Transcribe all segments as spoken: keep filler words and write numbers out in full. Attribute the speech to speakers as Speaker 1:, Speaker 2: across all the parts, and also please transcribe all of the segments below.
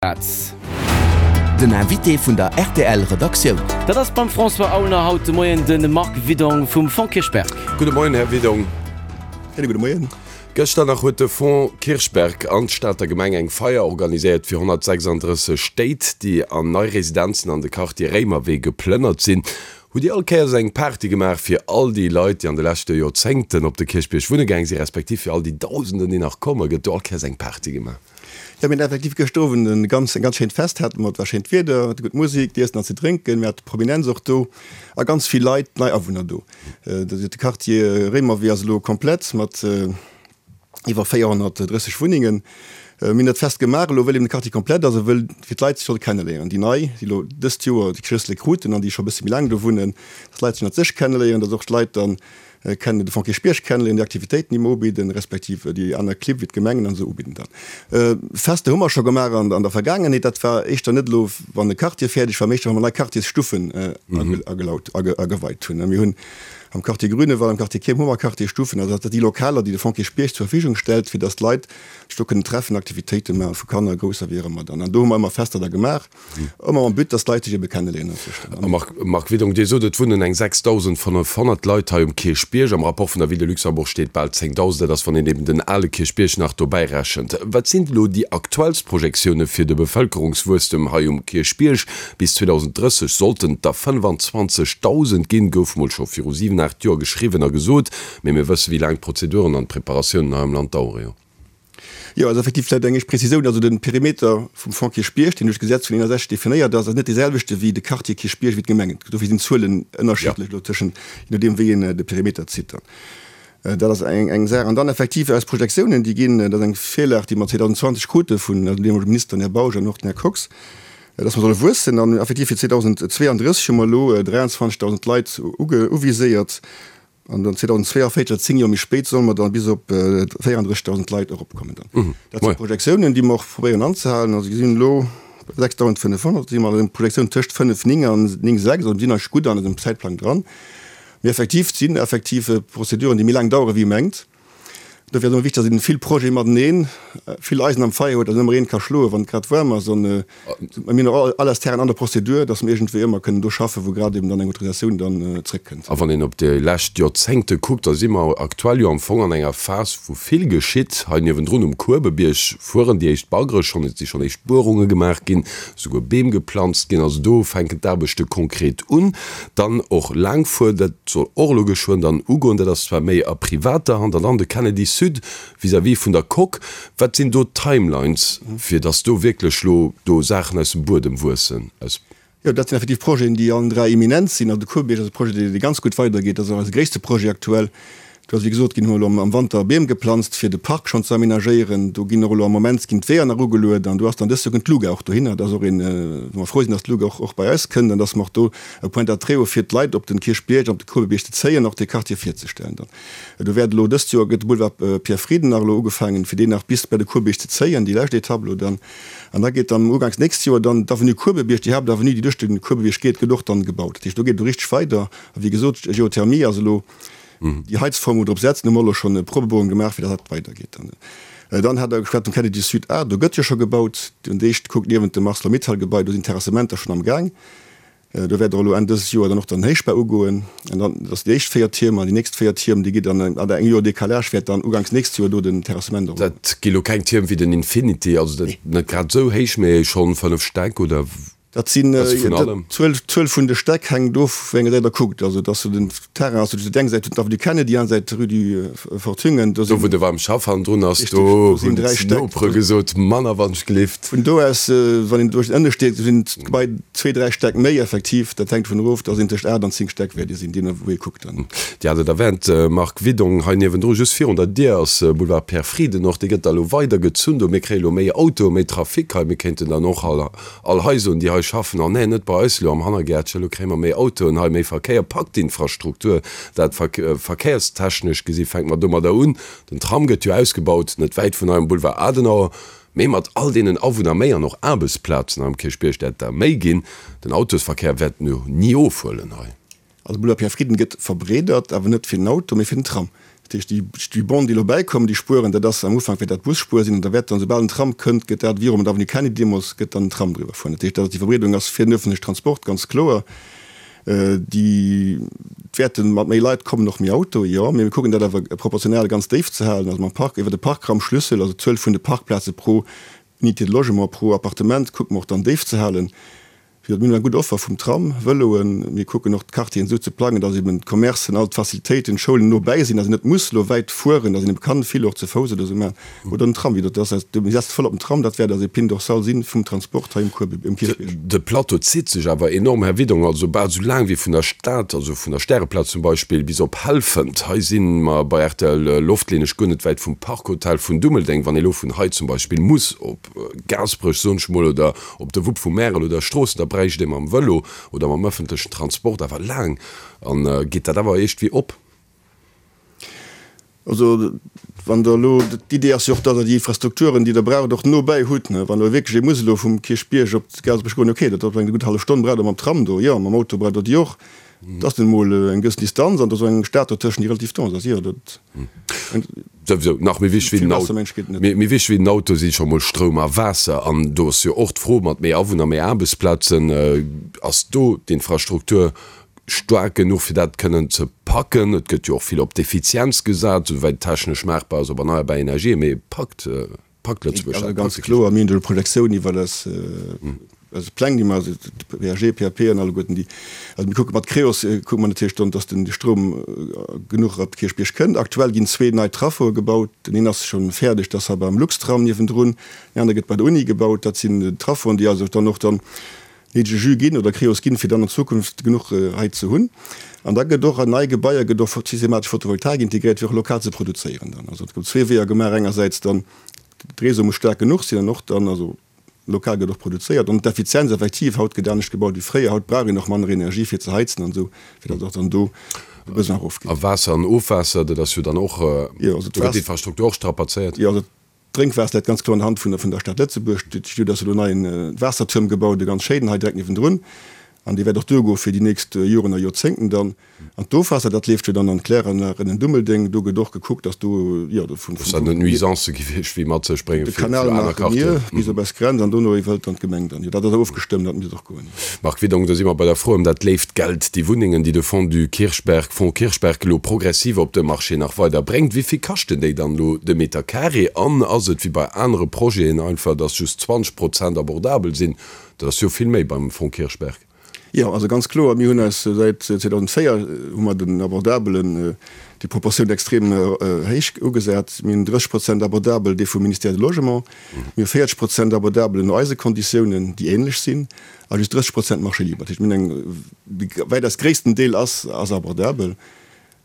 Speaker 1: Den Invité vun der rtl Redaktioun.
Speaker 2: Dat ass beim François Aulner haut de Moien de Marc Widong vum Fonds Kirchberg.
Speaker 3: Gudde Moien, Här Widong.
Speaker 4: Schéine gudde Moien.
Speaker 3: Gëschter nach huet de Fonds Kirchberg an d'Stater Gemeng eng Feier organiséiert fir honnertsechsanddrësseg Stéit, déi an nei Residenzen an de Quartier Réimerwee geplënnert sinn. Hutt Dir all Kéiers eng Party gemaach fir all déi Leit, déi an de leschte Joerzéngten op de Kierchbierg wunne gaang sinn, respektiv fir all déi Dausenden, déi nach kommen? Gëtt do all Kéiers eng Party gemaach?
Speaker 4: Jo, mir hunn effektiv gëschter Owend e ganz, e ganz schéint Fest hate mer. Et war schéint Wieder, gutt Musek, d'Iessen an ze drénken. Mir hate Prominenz och do a ganz vill Leit, nei Awunner do. De Quartier Réimerwee ass elo komplett mat iwwer véierhonnertdrësseg Wunnengen. Mir hunn dat Fest gemaach elo, wëll eben de Quartier komplett ass a wëll fir d'Leit sech solle kenneléieren, déi nei, déi elo dëst Joer déi Schlëssele kruten an déi scho e bësse méi laang do wunnen, dass d'Leit sech ënnert sech kenneléieren, dass och d'Leit dann kennen de Fonds Kierchbierg kennenléieren, déi Aktivitéiten, déi mer ubidden, respektiv déi aner Clibb wéi d'Gemengen an esou ubidden dann. Fester hu mer scho gemaach an der Vergaangenheet. Dat war éischter net elo, wann e Quartier fäerdeg war, mee éischter, wa mer nei Quartiersstuffen agelaut, ageweit hunn. Mir hunn am Quartier Grünewald, am Quartier Kierm hu mer Quartiersstuffen. Also dat si déi Lokaler, déi de Fonds Kierchbierg zur Verfügung stellt, fir datt d'Leit sech do kënnen treffen, Aktivitéite maachen, vu Kanner, Grousser, wéi och ëmmer dann. An do hu mer ëmmer Fester da gemaach. Ëmmer mam But, dass d'Leit sech ebe kenneléieren
Speaker 3: A Marc, Marc Widong, Dir sot, et wunnen eng sechsdausendfënnefhonnert Leit hei um Kierchbierg. Am Rapport vun der Ville de Luxembourg steet bal zéngdausend. Dat ass, wann een eben den ale Kierchbierg nach dobäi rechent. Wat sinn elo déi aktuellst Projektioune fir de Bevëlkerungswuesstem hei um Kierchbierg? Bis zweedausenddrësseg sollten et der fënnfanzwanzegdausend ginn, gouf mol scho viru siwen, aacht Joer geschriwwen a gesot. Mee mir wësse wéi laang d'Prozeduren an d'Preparatiounen hei am Land dauere jo.
Speaker 4: Jo, also effektiv vläicht eng éischt Prezisioun, Also de Perimeter vum Fonds Kierchbierg, deen duerch d'Gesetz vun eenundsechzeg definéiert ass, ass net dee selwechte wéi de Quartier Kierchbierg, wéi d'Gemengen. Dofir sinn d'Zuelen ënnerschiddlech elo tëschent, je nodeem wéi een de Perimeter zitt dann. Dat ass eng eng Saach. An dann effektiv eis Projektiounen, déi ginn, dat ass eng Virlag, déi mer zweedausendzwanzeg krute vun eisem deemolege Minister, den Här Bausch, an och den Här Kox, dass mer solle wuessen. An effektiv fir zweedausendzweeandrësseg hu mer elo dräianzwanzegdausend Leit uviséiert. An dann zweedausendzweeavéierzeg, also zéng Joer méi spéit, solle mer dann bis op véierandrëssigdausend Leit eropkommen dann. Dat si Projektiounen, déi mer och probéieren anzehalen. Also mir sinn elo bei sechsdausendfënnefhonnert, si mer an enger Projektioun tëscht fënnef néng an néng sechs, also mir sinn eigentlech gutt an eisem Zäitplang dran. Mee effektiv, et sinn effektiv Prozeduren, déi méi laang dauere wéi ee mengt. Dofir ass et ëmmer wichteg, datt een vill Projete mateneen, vill Eisen am Feier huet, datt een ëmmer een ka schloen, wann et grad waarm ass. An mir hunn och all eis Terrainen an der Prozedur, datt mir iergendwéi ëmmer kënnen do schaffen, wou grad eben dann eng Autorisatioun dann zréckkënnt.
Speaker 3: A wann een op déi lescht Joerzéngte kuckt, da si mer aktuell jo am Fong an enger Phas, wou vill geschitt. Hei niewendrun um Kuebebierg fueren déi éischt Baggere schonn, et si schonn éischt Buerunge gemaach ginn, souguer Beem geplanzt ginn. Also do fänken d'Aarbechte konkret un. Dann och Laangfuer, dat soll och elo geschwënn dann ugoen. Dat ass zwar méi a privater Hand. An dann de Kennedy Sud vis-à-vis vun der Coque. Wat sinn do d'Timelines, fir datt do wierklech elo do Saachen aus dem Buedem wuessen? Aus.
Speaker 4: Jo, dat sinn effektiv Projeten, déi allen dräi imminent sinn. Also de Kuebierg ass e Projet, dee ganz gutt weidergeet. Dat ass och eise gréisste Projet aktuell. Do ass, wéi gesot ginn, hu mer elo am Wanter Beem geplanzt, fir de Park schonn ze amenagéieren. Do ginn och elo am Moment ginn d'Weeër nach ugeluet an do ass dann dëst Joer kënnt d'Luga och dohinner. Dat ass och een, wou mer frou sinn, datt d'Luga och och bei eis kënnt an datt mer och do e Point d'attrait hu fir d'Leit op den Kierchbierg an op de Kuebebierg ze zéien, och dee Quartier virzestellen dann. Do wäert elo dëst Joer gëtt de Boulevard Pierre Frieden nach elo ugefaangen, fir deen nach bis bei de Kuebebierg ze zéien, déi lescht Etapp elo dann. An da geet dann uganks nächst Joer dann d'Avenue Kuebebierg, déi Haaptavenue, déi duerch de Kuebebierg geet, gëtt och dann gebaut. Dat heescht, do geet et elo richteg weider. A wéi gesot, Geothermie ass elo déi Heizform, wou mer drop setzen, hu mer elo schonn Probebohrung gemaach, fir datt dat weidergeet dann. Dann hat Der geschwat vum Kennedy Sud A, do gëtt jo scho gebaut. Un d'éischt kuckt niewent dem Arcelor-Mittal-Gebai, do sinn d'Terrassementer schonn am Gaang. Do wäert och elo Enn dëses Joer dann och dann den Héichbau ugoen. An dann, dat ass déi éischt véier Tierm, an déi nächst véier Tierm, déi geet dann an engem Joer Décalage, wäert dann uganks nächst Joer do den Terrassement och ugoen.
Speaker 3: Dat gi lo keng Tierm wéi den Infinity, also dat net grad esou héich, mee schonn fënnef Stäck oder?
Speaker 4: Dat sinn, d'Zuel, d'Zuel vun de Stäck hänkt of, wéi eng Säit Der kuckt. Also et ass sou den Terrain ass sou, déi eng Säit huet d'Avenue Kennedy, déi aner Säit d'Rue du Fort Thüngen.
Speaker 3: Do wou de Warm Schaff hannendrun ass, do hunn d'Nopere gesot, manner wann ech gelift.
Speaker 4: Vun do aus, wann een duerch den Ënnescht geet, sinn d'Gebai zwee, dräi Stäck méi effektiv. Dat hänkt dovun erof, da sinn tëscht aacht an zéng Stäck wäert ee sinn, deemno wou ee kuckt dann.
Speaker 3: Dir hat et erwänt, Marc Widong, hei niewendru, just virun der Dier ass Boulevard Pierre Frieden och, dee gëtt da elo weider gezunn do. Mir kréie lo méi Autoe, méi Trafic hei. Mir kéinten dann och all all hei soen, déi hei schaffen, oh nee, net bei eis elo am Hannergäertchen, elo kréie mer méi Autoen hei, méi Verkéier. Packt d'Infrastruktur dat verkéierstechnesch gesi fänke mer domadder un. Den Tram gëtt jo ausgebaut, net wäit vun eiem Boulevard Adenauer, mee mat all deenen Awunner méi an och Aarbechtsplazen am Kierchbierg wäert der méi ginn. Den Autosverkéier wäert no ni ofhuelen hei.
Speaker 4: Also de Boulevard Pierre Frieden gëtt verbreedert, awer net fir den Auto, mee fir den Tram. Dat heescht, déi, déi Bande, déi elo bäikommen, déi Spueren, dat ass am Ufank wäert dat Busspuer sinn an da wäert dann, soubal en Tram kënnt, gëtt dat virum der Avenue Kennedy deemools gëtt dann en Tram driwwer fueren. Dat heescht, dat ass déi Verbreedung ass fir den öffentlichen Transport ganz kloer. Déi wäerte mat méi Leit kommen och méi Autoe, jo, mee mir kucken dat awer proportional ganz déif ze halen, also mam Park, iwwer de Parkraumschlüssel, also d'Zuel vun de Parkplaze pro Unité de logement, pro Appartement kucke mer och dann déif ze halen. Wéi gesot, mir hunn eng gutt Offer vum Tram, Vëloen. Mir kucken och d'Quartieren esou ze plangen, dass eben d'Commercen, all d'Facilitéiten, d'Schoulen no bäi sinn, dass een net muss elo wäit fueren, dass een eben kann vill och ze Fouss oder esou maachen oder den Tram. Wéi gesot, dat ass eis, mir setzen voll op den Tram, dat wäert eis Épine dorsale si vum Transport hei um Kuer, um Kierchbierg.
Speaker 3: De Plateau zitt sech awer enorm, Här Widong, also bal esou laang wéi vun der Stad, also vun der Stäreplaz zum Beispill, bis op Helfent. Hei si mer bei rtl Loftlinnesch guer net wäit vum Parkhotel vun Dummeldeng. Wann ee lo vun hei zum Beispill muss op Gaasperech, soen ech mol, oder op de Wupp vu Märel oder Stroossen, da bräicht ee mam Vëlo oder mam ëffentlechen Transport awer laang. An geet dat awer iergendwéi op?
Speaker 4: Also wann Der elo, d'Idee ass jo och, datt Der déi Infrastrukturen, déi Der braucht, och no bäi hutt. Wann elo wierklech ee muss elo vum Kierchbierg op Gaasperech goen, okay, dat ass eng gutt hallef Stonn braucht Der mam Tram do, jo, mam Auto braucht Der déi och. Et ass nun emol eng gewëssen Distanz an et ass och eng Stad dotëschent, déi relativ dense ass. Jo, dat.
Speaker 3: Souwisou nach méi wichteg wéi den Auto, méi wichteg wéi den Auto si scho mol Stroum a Waasser. An do ass jo och d'Fro mat méi Awunner, méi Aarbechtsplazen, ass do d'Infrastruktur staark genuch, fir dat kënnen ze packen? Et gëtt jo och vill op d'Effizienz gesat, souwäit et technesch maachbar ass, op erneierbar Energien, mee packt packt Lëtzebuerg
Speaker 4: dat? Also ganz kloer, mir hunn do Projektioun iwwer eis eis Pläng, déi mer, also PAG, PAP an alleguerten déi, also mir kucke mat Creos kucke mer natierlech dann, dass den Stroum genuch op de Kierchbierg kënnt. Aktuell ginn zwee nei Traffoe gebaut, den een ass scho fäerdeg, dat ass hei beim Luxtram niewendrun, deen anere gëtt bei der Uni gebaut. Dat sinn Traffoen, déi also dann och dann néidege Jus ginn oder Creos ginn, fir dann an Zukunft genuch hei ze hunn. An da gëtt och an nei Gebaier gëtt och systematesch Photovoltaik integréiert, fir och lokal ze produzéieren dann. Also et gouf zwee Weeër gemaach, engersäits dann de Réseau muss staark genuch sinn an och dann, also lokal gëtt och produzéiert an d'Effizienz effektiv, haut gëtt anescht gebaut wéi fréier, haut brauch een och manner Energie fir ze heizen an esou, fir datt och dann do de Besoin erofgeet.
Speaker 3: A Waasser an Ofwaasser, dat ass jo dann och, do gëtt d'Infrastruktur och strapazéiert.
Speaker 4: Jo, also D'Drénkwaasser läit ganz kloer an der Hand vun der Stad Lëtzebuerg. Do ass elo en neie Waassertuerm gebaut, e ganz schéinen hei direkt niewendrun. An dee wäert och duergoe fir déi nächst Joren a Joerzéngten dann. An d'Ofwaasser, dat leeft jo dann an d'Kläranlag ënnen Dummeldeng. Do gëtt och gekuckt, dass do, jo, do vun.
Speaker 3: Dass dat net Nuisancë gewiescht wéi mat sech bréngen
Speaker 4: fir aner Quartieren. De Kanal maache mir bis op eis Grenz an dono iwwerhëlt dann d'Gemeng dann. Jo, dat ass ofgestëmmt, dat misst och goen.
Speaker 3: Marc Widong, da si mer bei der Fro ëm dat léift Geld, déi Wunnengen, déi de Fonds du Kirchberg, Fonds Kirchberg, elo progressiv op de Marché nach weider bréngt. Wéi vill kaschten déi dann elo de Meter carré? An ass et wéi bei anere Projeten einfach, dass just zwanzeg Prozent abordabel sinn? Dat ass jo vill méi beim Fonds Kirchberg.
Speaker 4: Jo, also ganz kloer, mir hunn eis säit zweedausendvéier hu mer den Abordabelen déi Proportioun extrem héich ugesat. Mir hunn drësseg Prozent abordabel, dee vum Ministère du Logement. Mir hu véierzeg Prozent abordabel no eise Konditiounen, déi ähnlech sinn, a just drësseg Prozent Marché libre. Dat heescht, mir hunn eng, dee wäitaus gréissten Deel ass, ass abordabel.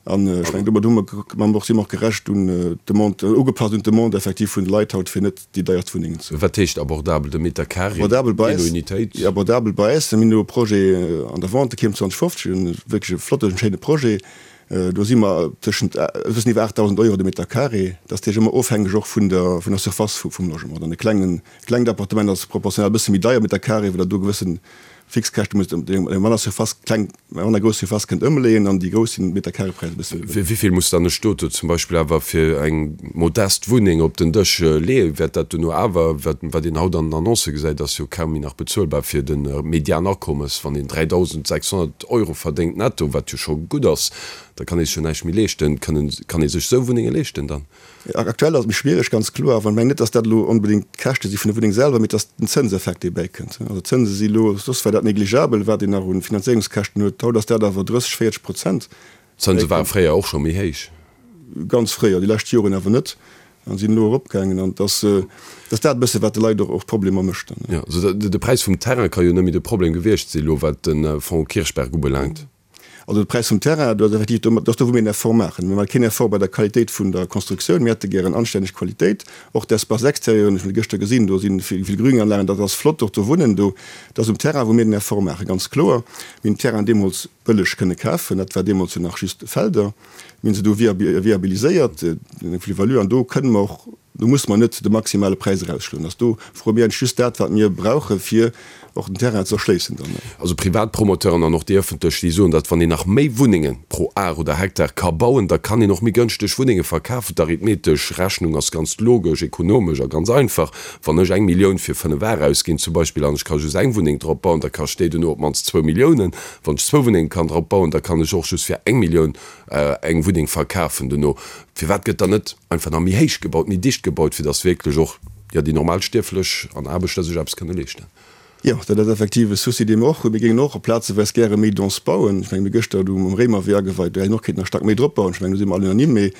Speaker 4: An ech mengen, domat hu mer, hu mer och, si mer och gerecht un d'Demande, ugepasst un d'Demande effektiv vun de Leit haut, fir net déi deierst Wunnengen ze hunn.
Speaker 3: Wat heescht abordabel? De Meter carré,
Speaker 4: Abordabel bei
Speaker 3: jee no
Speaker 4: eis,
Speaker 3: Unitéit?
Speaker 4: abordabel bei eis, mir hunn elo e Projet an der Vente, Kierm zwanzeg fofzeg, e wierklech e flotten, schéine Projet. Do si mer tëschent e bëssen iwwer aachtdausend Euro de Meter carré. Dat ass natierlech ëmmer ofhängeg och vun der, vun der Surface vum Logement. Dann e klengen, klengt Appartement ass proportional e bësse méi deier Meter carré, well Der do gewëssen Fixkäschte musst eng manner Surface, kleng, manner grouss Surface kënnt ëmleeën an déi grouss sinn Metercarrépräis e bësse méi
Speaker 3: Wéi vill muss dann e Stot do zum Beispill awer fir eng modest Wunneng op den Dësch leeën? Wäert dat duerno awer, wat wat een haut an den Annoncë gesäit, ass jo kaum méi nach bezuelbar fir de Medianakommes, wann een dräidausendsechshonnert Euro verdéngt netto, wat jo scho gutt ass, da kann ee sech jo näischt méi leeschten. Kënnen, kann ee sech esou Wunnenge leeschten dann?
Speaker 4: Aktuell ass et méi schwiereg, ganz kloer. Awer ech mengen net, datt dat elo onbedéngt d'Käschte si vun der Wunneng selwer, mee et ass den Zënseffekt, dee bäikënnt. Also d'Zënse si elo, soss war dat negligeabel, wat een nach u Finanzéierungskäschten huet, haut ass dat awer drësseg, véierzeg Prozent.
Speaker 3: D'Zënse ware fréier och scho méi héich.
Speaker 4: Ganz fréier, déi lescht Joren awer net, a sinn elo eropgaangen. An et ass, et ass dat e bësse wat de Leit och Problemer mécht dann.
Speaker 3: Jo, also de Präis vum Terrain ka jo net méi de Problem gewiescht si elo, wat de Fonds Kirchberg ubelaangt.
Speaker 4: Also de Präis vum Terrain, do ass effektiv, do ass do wou mir en Effort maachen. Mir maache keen Effort bei der Qualitéit vun der Constructioun, mir hätte gären anstänneg Qualitéit. Och d'Espaces extérieurs, ech hunn et gëschter gesinn, do si vill vill Grünanlagen, dat ass flott och do wunnen do. Et ass um Terrain wou mir den Effort maachen, ganz kloer. Mir hunn den Terrain deemools bëlleg kënne kafen, dat war deemools jo nach just Felder. Mir hunn se do viabiliséiert, eng Plus-value, an do kënne mer och Do musse mer net de maximale Präis erausschloen. Also do froe mir eigentlech just dat, wat mir brauche fir och den Terrain ze erschléissen dann.
Speaker 3: Also privat Promoteuren an och déi ëffentlech, déi soen, datt wann een nach méi Wunnenge pro Ar oder Hektar ka bauen, da kann een och méi gënschteg Wunnenge verkafen. D'arithmetesch Rechnung ass ganz logesch, ekonomesch a ganz einfach, Wann ech eng Millioun fir fënnef Ar ausginn zum Beispill an ech ka just eng Wunneng drop bauen, da kascht déi duerno op d'mannst zwou Milliounen. Wann ech zwou Wunnenge kann drop bauen, da kann ech och just fir eng Millioun eng Wunneng verkafen duerno. Firwat gëtt dann net einfach nach méi héich gebaut, méi dicht gebaut, fir datt wierklech och, jo, déi normal Stierflech an Aarbechter sech eppes kënne leeschten?
Speaker 4: Jo, dat ass effektiv e Souci, dee mer och hunn. Mir géingen och plazeweis gäre méi dense bauen. Ech mengen, mir gëschter do um Réimerwee ageweit, do hätt een och kéinten nach staark méi drop bauen. Ech mengen, do si mer all unanime. Mee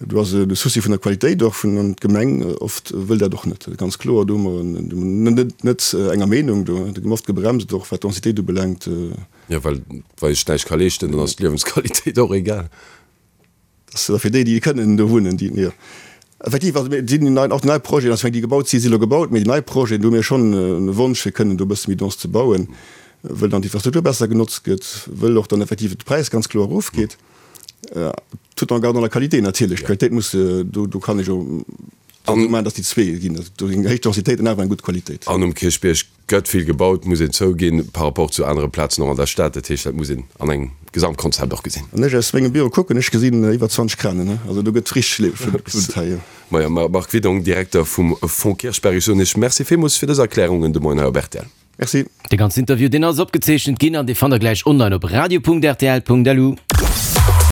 Speaker 4: do ass de Souci vun der Qualitéit och vun, an d'Gemeng oft wëll dat och net. Dat ass ganz kloer. Do hu mer net net enger Meenung. Do gi mer oft gebremst, och wat d'Densitéit ubelaangt.
Speaker 3: Jo, well wa ech näischt ka leeschten, dann ass d'Liewensqualitéit och egal.
Speaker 4: Dat ass fir déi, déi kënnen do wunnen, déi, jo. Effektiv, also mir sinn nei, och déi nei Projeten, also déi gebaut si si elo gebaut, mee déi nei Projeten, do hu mir schonn e Wonsch fir kënnen do e bësse méi dense ze bauen, wëll dann d'Infrastruktur besser genotzt gëtt, wëll och dann effektiv de Präis ganz kloer erofgeet, tout en gardant la qualité natierlech. D'Qualitéit muss, do, do kann ech jo esou maachen, datt déi zwee ginn, also do eng héich Densitéit an awer eng gutt Qualitéit.
Speaker 3: An um Kierchbierg Gëtt vill gebaut, muss een zouginn, par rapport zu anere Plazen och an der Stad. Dat heescht, dat muss een an engem Gesamtkonzept och gesinn.
Speaker 4: Wann ech aus mengem Büro kucken, ech gesinn iwwer zwanzeg Kranen, also do gëtt richteg gewunnt hei, jo.
Speaker 3: Majo, Marc Widong, Direkter vum Fonds Kirchberg, ech soen Iech Merci villmools fir dës Erklärungen de Moien hei op rtl.
Speaker 4: Merci.
Speaker 2: Dee ganzen Interview, deen ass opgezeechent ginn an dee fannt der gläich online op radio.rtl.lu.